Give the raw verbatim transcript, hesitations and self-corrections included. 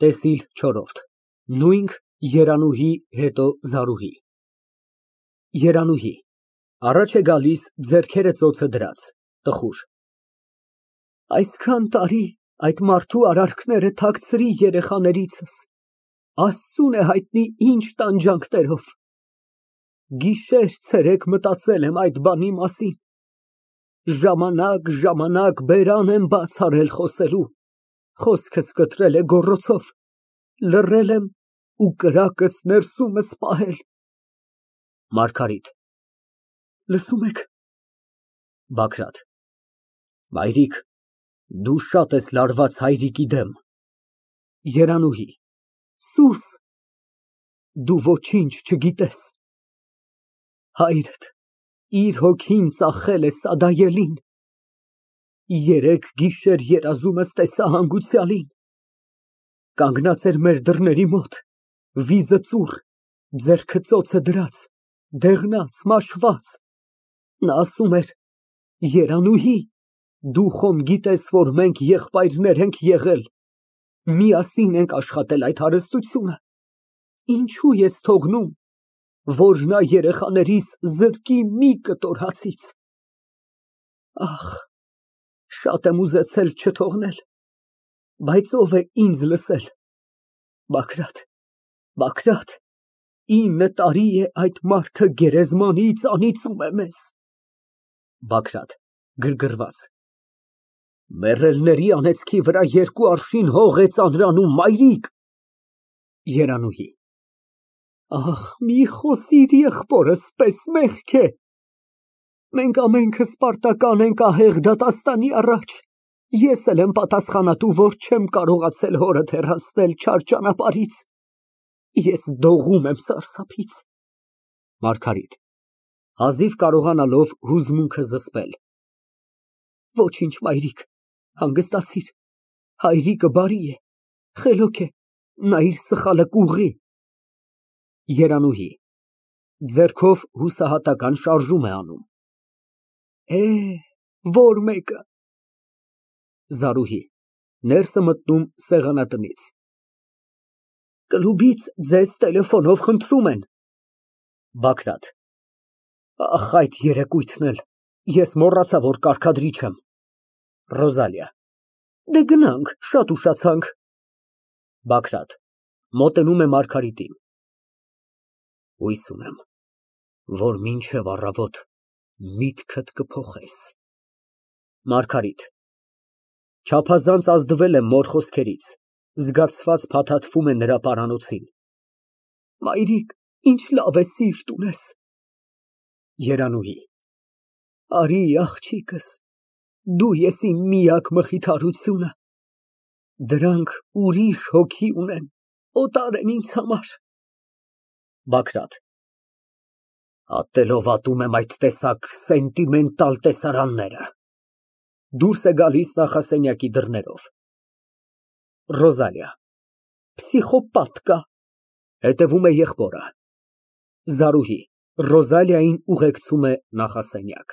ՏԵՍԻԼ չորրորդ ՆՈՒՅՆՔ, ԵՐԱՆՈՒՀԻ, հետո ԶԱՐՈՒՀԻ ԵՐԱՆՈՒՀԻ ֊ (Առաջ է գալիս ձեռքերը ծոցը դրած, տխուր) Այսքան տարի այդ մարդու արարքները թաքցրի երեխաներիցս, Աստծուն է հայտնի ինչ տանջանքներով, գիշեր֊ցերեկ մտածել եմ այդ բանի մասին, ժամանակ֊ժամանակ բերան եմ բաց արել խոսելու, խոսքս կտրել է գոռոցով, լռել եմ ու կրակս ներսումս պահել։ ՄԱՐԳԱՐԻՏ ֊ Լսո՞ւմ եք։ ԲԱԳՐԱՏ ֊ Մայրիկ, դու շատ ես լարված հայրիկի դեմ։ ԵՐԱՆՈՒՀԻ ֊ Սուս, դու ոչինչ չգիտես, հայրդ իր հոգին ծախել է սադայելին, երեկ գիշեր երազումս տեսա հանգուցյալին, կանգնած էր մեր դռների մոտ, վիզը ծուռ, ձեռքը ծոցը դրած, դեղնած, մաշված, նա ասում էր. Երանուհի, դու խոմ գիտես, որ մենք եղբայրներ ենք եղել, միասին ենք աշխատել այդ հարստությունը, ինչու ես թողնում, որ նա երեխաներիս զրկի մի կտոր հացից։ Ախ, շատ եմ ուզեցել չթողնել, բայց ով է ինձ լսել։ Բագրատ, Բագրատ, ինը տարի է այդ մարդը գերեզմանից անիծում է մեզ։ ԲԱԳՐԱՏ ֊ (Գրգռված) Մեռելների անեծքի վրա երկու արշին հող է ծանրանում, մայրիկ։ ԵՐԱՆՈՒՀԻ ֊ Ախ, մի խոսիր եղբորս պես, մեղք է, մենք ամենքս պարտական ենք ահեղ դատաստանի առաջ, ես էլ եմ պատասխանատու, որ չեմ կարողացել հորդ հեռացնել չար ճանապարհից, ես դողում եմ սարսափից։ ՄԱՐԳԱՐԻՏ ֊ (Հազիվ կարողանալով հուզմունքը զսպել) Ոչինչ, մայրիկ, հանգստացիր, հայրիկը բարի է, խելոք է, նա իր սխալը կուղղի։ ԵՐԱՆՈՒՀԻ ֊ (Ձեռքով հուսահատական շարժում է անում) Է, որ մեկը։ ԶԱՐՈՒՀԻ ֊ (Ներս է մտնում սեղանատնից) Կլուբից ձեզ տելեֆոնով խնդրում են։ ԲԱԳՐԱՏ ֊ Ախ, այդ երեկույթն էլ, ես մոռացա, որ կարգադրիչ եմ։ ՌՈԶԱԼԻԱ ֊ Դե գնանք, շատ ուշացանք։ ԲԱԳՐԱՏ ֊ (Մոտենում է Մարգարիտին) Հույս ունեմ, որ մինչև առավոտ միտքդ կփոխես։ ՄԱՐԳԱՐԻՏ ֊ (Չափազանց ազդվել է մոր խոսքերից, զգացված փաթաթվում է նրա պարանոցին) Մայրիկ, ինչ լավ է սիրտ ունես։ ԵՐԱՆՈՒՀԻ ֊ Արի, աղջիկս, դու ես իմ միակ մխիթարությունը, դրանք ուրիշ հոգի ունեն, օտար են ինձ համար։ ԲԱԳՐԱՏ ֊ Ատելով ատում եմ այդ տեսակ սենտիմենտալ տեսարանները։ (Դուրս է գալիս նախասենյակի դռներով)։ ՌՈԶԱԼԻԱ ֊ Պսիխոպատ կա։ (Հետևում է եղբորը)։ ԶԱՐՈՒՀԻ ֊ (Ռոզալիային ուղեկցում է նախասենյակ)։